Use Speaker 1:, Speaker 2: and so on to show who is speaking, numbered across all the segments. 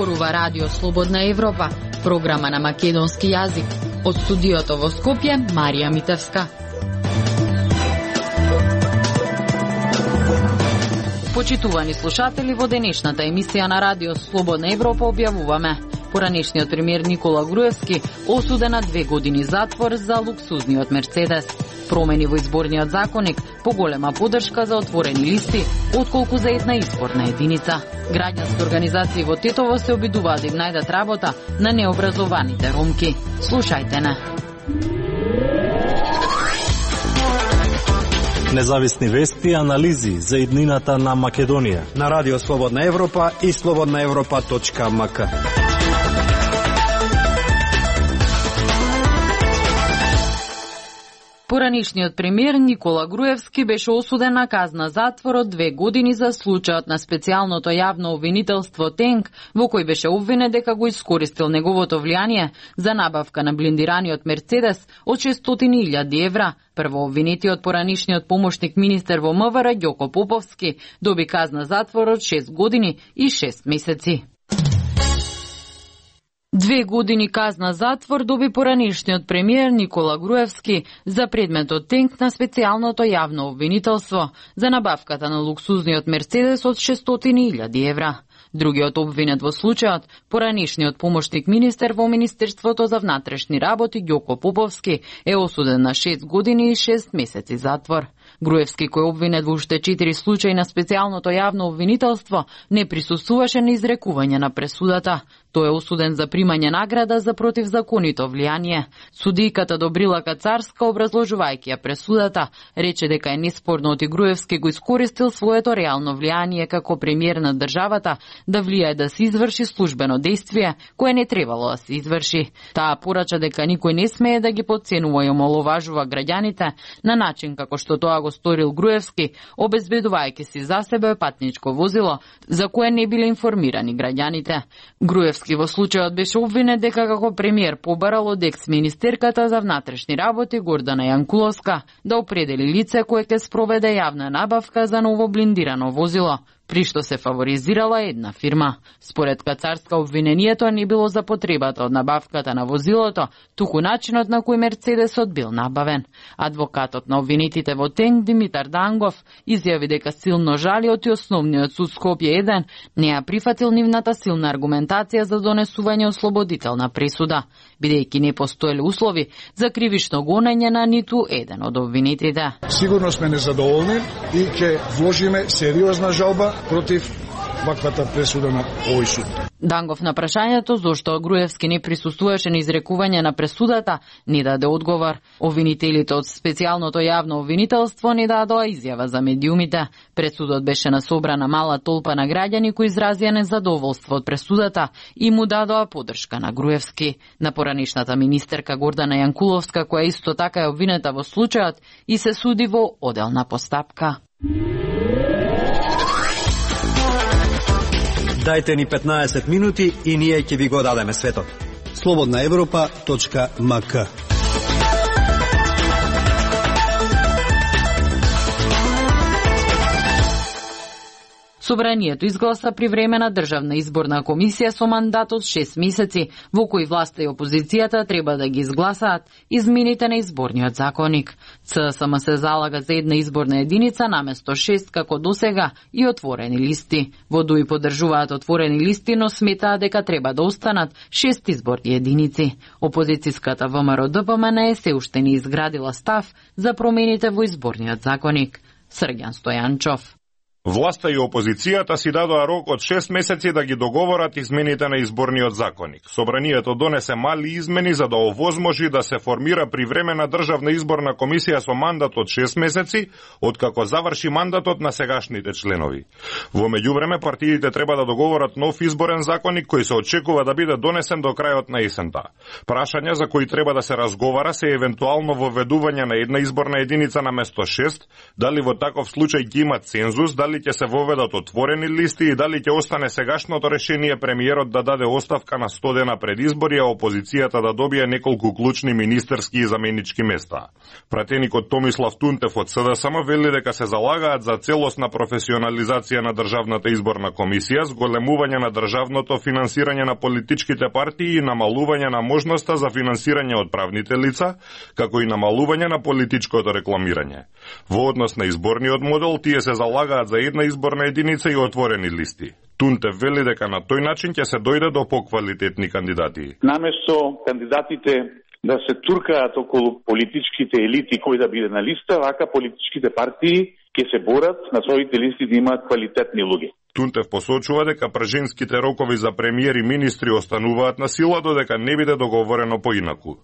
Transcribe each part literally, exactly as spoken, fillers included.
Speaker 1: Зборува Радио Слободна Европа, програма на македонски јазик. Од студиото во Скопје, Марија Митевска. Почитувани слушатели, во денешната емисија на Радио Слободна Европа објавуваме: поранешниот премиер Никола Груевски осуден на две години затвор за луксузниот Мерцедес. Промени во изборниот законник, поголема поддршка за отворени листи, отколку за една изборна единица. Граѓански организации во Тетово се обидуваат да им најдат работа на необразованите ромки. Слушајте на.
Speaker 2: Независни вести и анализи за иднината на Македонија
Speaker 3: на Радио Слободна Европа и слободна европа точка ем ка.
Speaker 1: Поранишниот премиер Никола Груевски беше осуден на казна затвор од две години за случајот на специјалното јавно обвинителство ТЕНК, во кој беше обвинет дека го искористил неговото влијание за набавка на блиндираниот Мерцедес од шестстотини илјади евра. Прво обвинетиот поранишниот помошник министер во МВР Ѓоко Поповски доби казна затвор од шест години и шест месеци. Две години казна затвор доби поранишниот премиер Никола Груевски за предметот ТЕНК на специјалното јавно обвинителство за набавката на луксузниот Мерцедес од шестстотини илјади евра. Другиот обвинет во случајот, поранишниот помошник министер во Министерството за внатрешни работи Ѓоко Поповски, е осуден на шест години и шест месеци затвор. Груевски, кој обвинет во уште четири случаи на специјалното јавно обвинителство, не присуствуваше на изрекување на пресудата. Тој е осуден за примање награда за противзаконито влијание. Судијката Добрила Кацарска, образложувајќи ја пресудата, рече дека е неспорно оти Груевски го искористил своето реално влијание како премиер на државата да влијае да се изврши службено дејствие кое не требало да се изврши. Таа порача дека никој не смее да ги потценува и омаловажува граѓаните на начин како што тоа го сторил Груевски, обезбедувајќи си за себе патничко возило за кое не биле информирани граѓаните. Груевски во случајот беше обвинет дека како премиер побарал од екс-министерката за внатрешни работи Гордана Јанкуловска да определи лице кое ќе спроведе јавна набавка за ново блиндирано возило, при што се фаворизирала една фирма. Според Кацарска, обвинението не било за потребата од набавката на возилото, туку начинот на кој Мерцедесот бил набавен. Адвокатот на обвинетите во ТЕНК Димитар Дангов изјави дека силно жали оти основниот суд Скопје еден не ја прифатил нивната силна аргументација за донесување ослободителна пресуда, бидејќи не постоеле услови за кривично гонење на ниту еден од обвинетите.
Speaker 4: Сигурно сме незадоволни и ќе вложиме сериозна жалба против ваквата пресуда на овој суд.
Speaker 1: Дангов на прашањето зошто Груевски не присуствуваше на изрекување на пресудата не даде одговор. Обвинителите од специјалното јавно обвинителство не дадоа изјава за медиумите. Пред судот беше насобрана мала толпа на граѓани кои изразија незадоволство од пресудата и му дадоа поддршка на Груевски. На поранишната министерка Гордана Јанкуловска, која исто така е обвинета во случајот и се суди во оделна постапка.
Speaker 3: Дајте ни петнаесет минути и ние ќе ви го дадеме светот.
Speaker 5: слободна европа точка ем ка.
Speaker 1: Собранието изгласа привремена државна изборна комисија со мандат од шест месеци, во кој власта и опозицијата треба да ги изгласаат измените на изборниот законник. ЦСМ се залага за една изборна единица наместо шест како досега и отворени листи. Во ДУИ поддржуваат отворени листи, но сметаат дека треба да останат шест изборни единици. Опозицијската ВМРО Д П М Н се уште не изградила став за промените во изборниот законник. Срѓан Стојанчов.
Speaker 6: Власта и опозицијата си дадоа рок од шест месеци да ги договорат измените на изборниот законник. Собранието донесе мали измени за да овозможи да се формира привремена државна изборна комисија со мандат од шест месеци, откако заврши мандатот на сегашните членови. Во меѓувреме партиите треба да договорат нов изборен законник кој се очекува да биде донесен до крајот на есента. Прашања за кои треба да се разговара се евентуално воведување на една изборна единица на место шест, дали во таков случај ќе има цензус, дали дали ќе се воведат отворени листи и дали ќе остане сегашното решение премиерот да даде оставка на сто дена пред избори, а опозицијата да добие неколку клучни министерски и заменички места. Пратеникот Томислав Тунтев од СДСМ вели дека се залагаат за целосна професионализација на Државната изборна комисија, зголемување на државното финансирање на политичките партии и намалување на можноста за финансирање од правните лица, како и намалување на политичкото рекламирање. Во однос на изборниот модел, тие се залагаат за една изборна единица и отворени листи. Тунтев вели дека на тој начин ќе се дојде до поквалитетни кандидати.
Speaker 7: Наместо кандидатите да се туркаат околу политичките елити кој да биде на листа, вака политичките партии ќе се борат на своите листи да имаат квалитетни луѓе.
Speaker 6: Тунтев посочува дека пржинските рокови за премиер и министри остануваат на сила додека не биде договорено поинаку.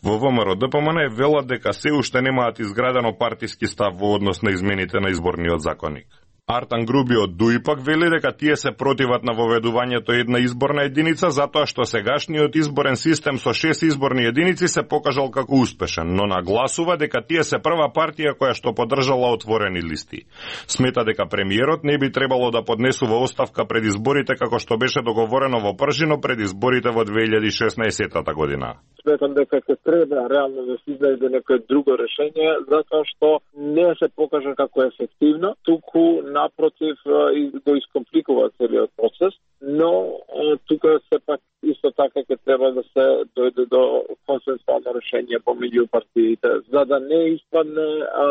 Speaker 6: Во ВМРО Д П М Н велат дека се уште немаат изградено партиски став во однос на измените на изборниот законник. Артан Груби од ДУИ пак вели дека тие се противат на воведувањето една изборна единица затоа што сегашниот изборен систем со шест изборни единици се покажал како успешен, но нагласува дека тие се прва партија која што поддржала отворени листи. Смета дека премиерот не би требало да поднесува оставка пред изборите како што беше договорено во Пржино пред изборите во две илјади и шеснаесетта година.
Speaker 8: Сметам дека ќе треба реално да се изнајде некое друго решение затоа што не се покажа како ефективно, туку напротив го искомпликува целиот процес, но тука сепак исто така ќе треба да се дојде до консенсуално решение помеѓу партиите, за да не испадне а,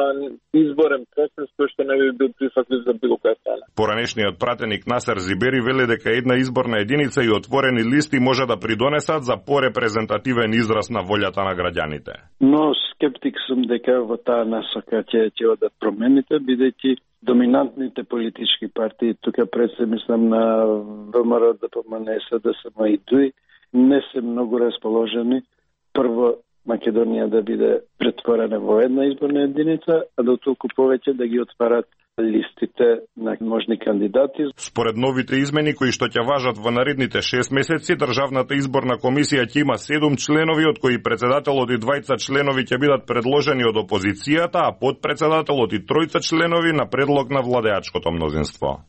Speaker 8: изборен процес кој што не би бил прифатлив за било која страна.
Speaker 6: Поранешниот пратеник Насер Зибери вели дека една изборна единица и отворени листи може да придонесат за порепрезентативен израз на волјата на граѓаните.
Speaker 9: Но скептик сум дека во таа насока ќе ќе одат промените, бидејќи доминантните политички партии, тука пред се мислам на ВМРО Д П М Н, СДСМ и ДУИ, не се многу расположени прво Македонија да биде претворена во една изборна единица, а до толку повеќе да ги отварат листите на можни кандидати.
Speaker 6: Според новите измени кои што ќе важат во наредните шест месеци, Државната изборна комисија ќе има седум членови, од кои председателот и двајца членови ќе бидат предложени од опозицијата, а подпредседателот и тројца членови на предлог на владеачкото мнозинство.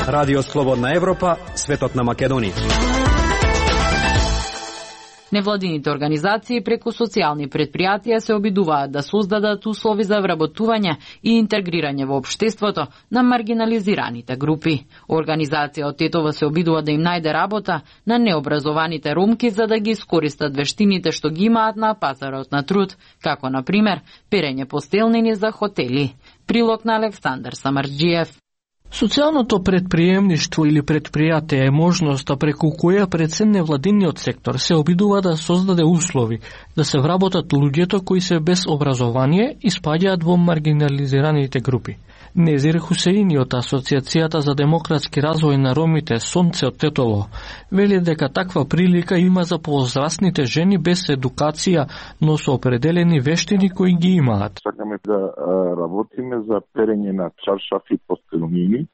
Speaker 3: Радио Слободна Европа, светот на Македонија.
Speaker 1: Невладините организации преку социјални предпријатија се обидуваат да создадат услови за вработување и интегрирање во општеството на маргинализираните групи. Организација од Тетова се обидува да им најде работа на необразованите ромки за да ги искористат вештините што ги имаат на пазарот на труд, како на пример перење постелнини за хотели. Прилог на Александар Самарџиев.
Speaker 10: Социјалното предприемништво или предпријатие е можноста преку која пред се невладиниот сектор се обидува да создаде услови да се вработат луѓето кои се без образование и спаѓаат во маргинализираните групи. Незир Хусеини од Асоциацијата за демократски развој на ромите Сонце од Тетово вели дека таква прилика има за повозрастните жени без едукација, но со определени вештини кои ги имаат.
Speaker 11: Сакаме да работиме за перење на чаршафи и постелнини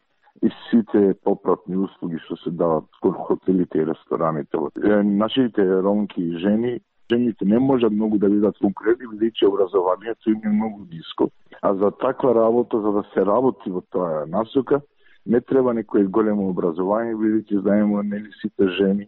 Speaker 11: и сите попратни услуги што се дават кон хотелите и рестораните. Нашите ромки и жени Жените не можат многу да бидат конкурентни, бидејќи образованието им е многу ниско. А за таква работа, за да се работи во тоа насока, не треба некој големо образование, бидејќи знаеме нели сите жени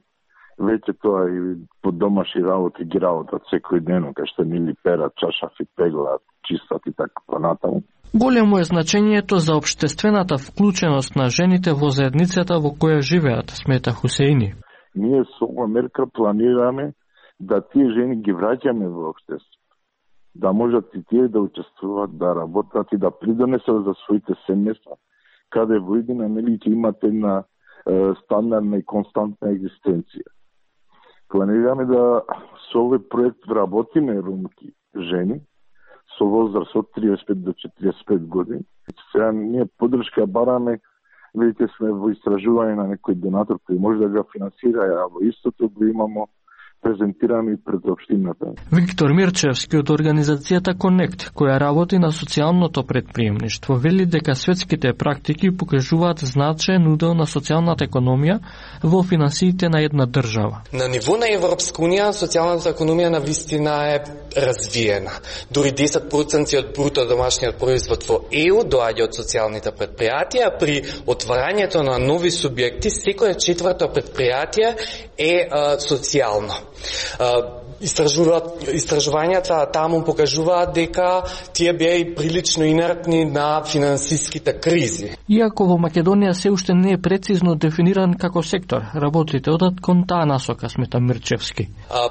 Speaker 11: веќе тоа и по домашни работи ги работат секој ден, кај што нели перат, чашафи, пеглат, чистат и така понатаму.
Speaker 10: Големо е значењето за општествената вклученост на жените во заедницата во која живеат, смета Хусеини.
Speaker 11: Ние со оваа мерка планираме да тие жени ги враќаме во општеството, да можат и тие да учествуваат, да работат и да придонесат за своите семејства, каде во иднина нели ќе имат една е, стандардна и константна екзистенција. Планираме да со овој проект вработиме ромки жени со возраст од триесет и пет до четириесет и пет години. Сега ние поддршка бараме, видите сме во истражување на некој донатор кој може да го финансира, а во истото го имамо презентирани пред општината.
Speaker 10: Виктор Мирчевски од организацијата Connect, која работи на социјалното предприемништво, вели дека светските практики покажуваат значаен удел на социјалната економија во финансиите на една држава.
Speaker 12: На ниво на Европска унија социјалната економија на вистина е развиена. Дури десет проценти од бруто домашниот производ во Е У доаѓа од социјалните предпријатија. При отварањето на нови субјекти, секое четврто предпријатие е а, социјално. Истражувањата таму покажуваат дека тие беа и прилично инертни на финансиските кризи.
Speaker 10: Иако во Македонија се уште не е прецизно дефиниран како сектор, работите одат кон таа насока, смета Мирчевски.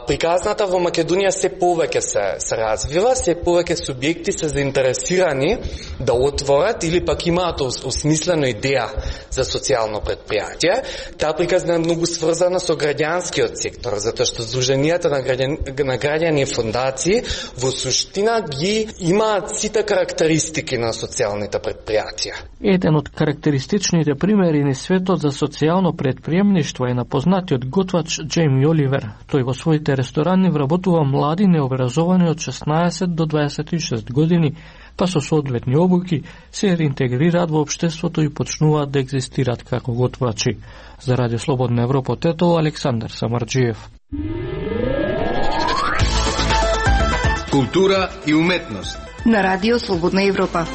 Speaker 12: Приказната во Македонија се повеќе се, се развива, се повеќе субјекти се заинтересирани да отворат или пак имаат осмислено идеја за социјално предпријатие. Таа приказна е многу сврзана со граѓанскиот сектор, затоа што здруженијата на граѓани на граѓани и фондации во суштина ги имаат сите карактеристики на социјалните предпријатија.
Speaker 10: Еден од карактеристичните примери на светот за социјално предприемништво е на познатиот готвач Џејми Оливер. Тој во своите ресторани вработува млади необразовани од шеснаесет до дваесет и шест години, па со соодветни обуки се реинтегрираат во општеството и почнуваат да екзистираат како готвачи. За Радио Слободна Европа од Тетово, Александар Самарџиев.
Speaker 13: Култура и уметност
Speaker 14: на Радио Слободна Европа.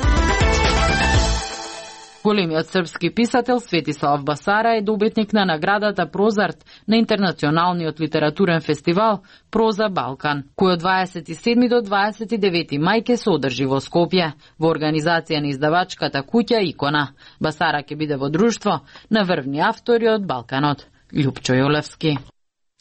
Speaker 1: Големиот српски писател Светислав Басара е добитник на наградата Прозарт на Интернационалниот литературен фестивал Проза Балкан, кој од дваесет и седми до дваесет и девети мај ќе се одржи во Скопје, во организација на издавачката куќа Икона. Басара ќе биде во друштво на врвни автори од Балканот. Љупчо Јолевски.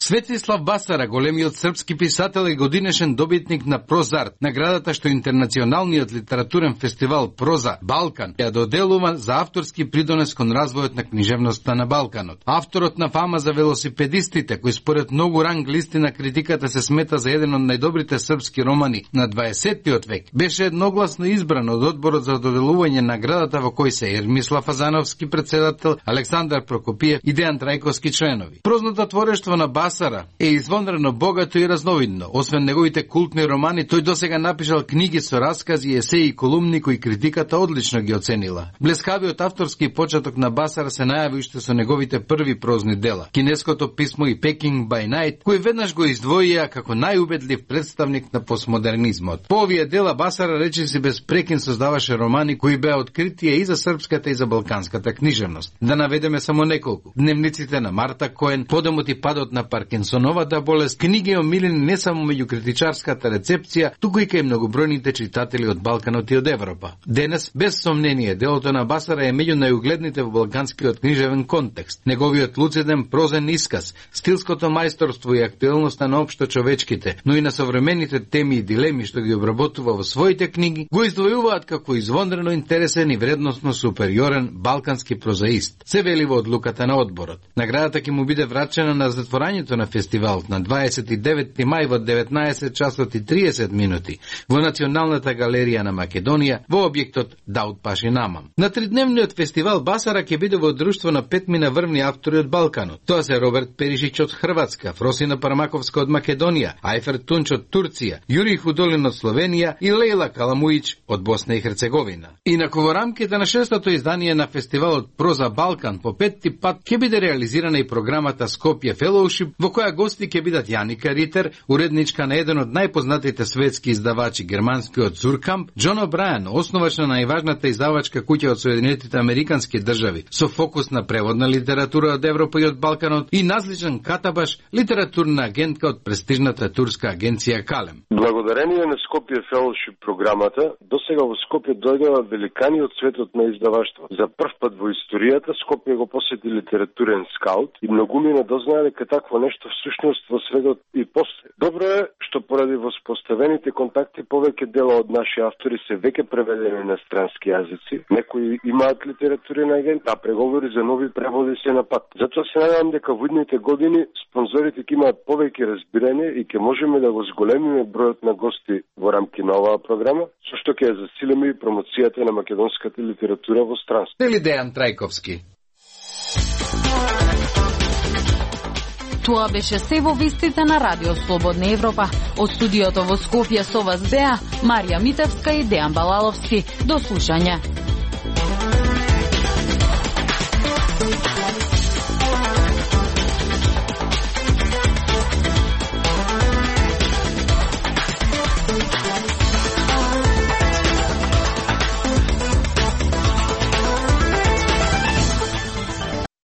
Speaker 13: Светислав Басара, големиот српски писател и годинешен добитник на Прозарт, наградата што Интернационалниот литературен фестивал Проза Балкан ја доделува за авторски придонес кон развојот на книжевноста на Балканот. Авторот на фама за велосипедистите, кој според многу ранг листи на критиката се смета за еден од најдобрите српски романи на дваесеттиот век, беше едногласно избран од одборот за доделување наградата во кој се Ермислав Азановски председател, Александар Прокопиев и Дејан Трајковски членови. Прозното творештво на Басара Басара е извонредно богато и разновидно. Освен неговите култни романи, тој досега напишал книги со раскази, есеи и колумни кои критиката одлично ги оценила. Блескавиот авторски почеток на Басара се најави уште со неговите први прозни дела. Кинеското писмо и Peking by Night, кој веднаш го издвоија како најубедлив представник на постмодернизмот. По овие дела Басара речиси без прекин создаваше романи кои беа откритие и за српската и за балканската книжевност. Да наведеме само неколку: Дневниците на Марта Коен, Подемот и падот на Паркинсоновата болест, книги омилени не само меѓу критичарската рецепција, туку и кај многобројните читатели од Балканот и од Европа. Денес, без сомнение, делото на Басара е меѓу најугледните во балканскиот книжевен контекст. Неговиот луциден прозен исказ, стилското мајсторство и актуелноста на општо човечките, но и на современите теми и дилеми што ги обработува во своите книги, го издвојуваат како извонредно интересен и вредносно супериорен балкански прозаист. Се вели во одлуката на одборот. Наградата ќе му биде врачена на затворањето на фестивалот на дваесет и деветти мај во деветнаесет часот и триесет минути во Националната галерија на Македонија во објектот Даут Паши Намам. На тридневниот фестивал Басара ќе биде во друштво на петмина врвни автори од Балканот. Тоа се Роберт Перишич од Хрватска, Фросина Пармаковска од Македонија, Ајфер Тунч од Турција, Јурий Худолин од Словенија и Лејла Каламуич од Босна и Херцеговина. Инаку во рамките на шестото издание на фестивалот Проза Балкан по петти пат ќе биде реализирана и програмата Скопје Фелоушип, во која гости ќе бидат Јаника Ритер, уредничка на еден од најпознатите светски издавачи, германскиот Зуркамп, Џон О'Брајан, основач на најважната издавачка куќа од Соединетите американски држави, со фокус на преводна литература од Европа и од Балканот, и Назличан Катабаш, литературна агентка од престижната турска агенција Калем.
Speaker 15: Благодарение на Скопје Фелоушип програмата, досега во Скопје дојдоа великани од светот на издаваштво. За прв пат во историјата Скопје го посети литературен скаут и многумина дознаа дека такво нешто всушност во светот и постои. Добро е што поради воспоставените контакти повеќе дела од наши автори се веќе преведени на странски јазици. Некои имаат литературен агент, а преговори за нови преводи се на пат. Затоа се надевам дека во идните години спонзорите ќе имаат повеќе разбирање и ќе можеме да го зголемиме бројот на гости во рамки на оваа програма, со што ќе ја засилиме и промоцијата на македонската литература во странство.
Speaker 13: Дели Дејан Трајковски.
Speaker 1: Тоа беше се во вестите на Радио Слободна Европа. Од студиото во Скопје со вас беа Марија Митевска и Дејан Балаловски. До слушање.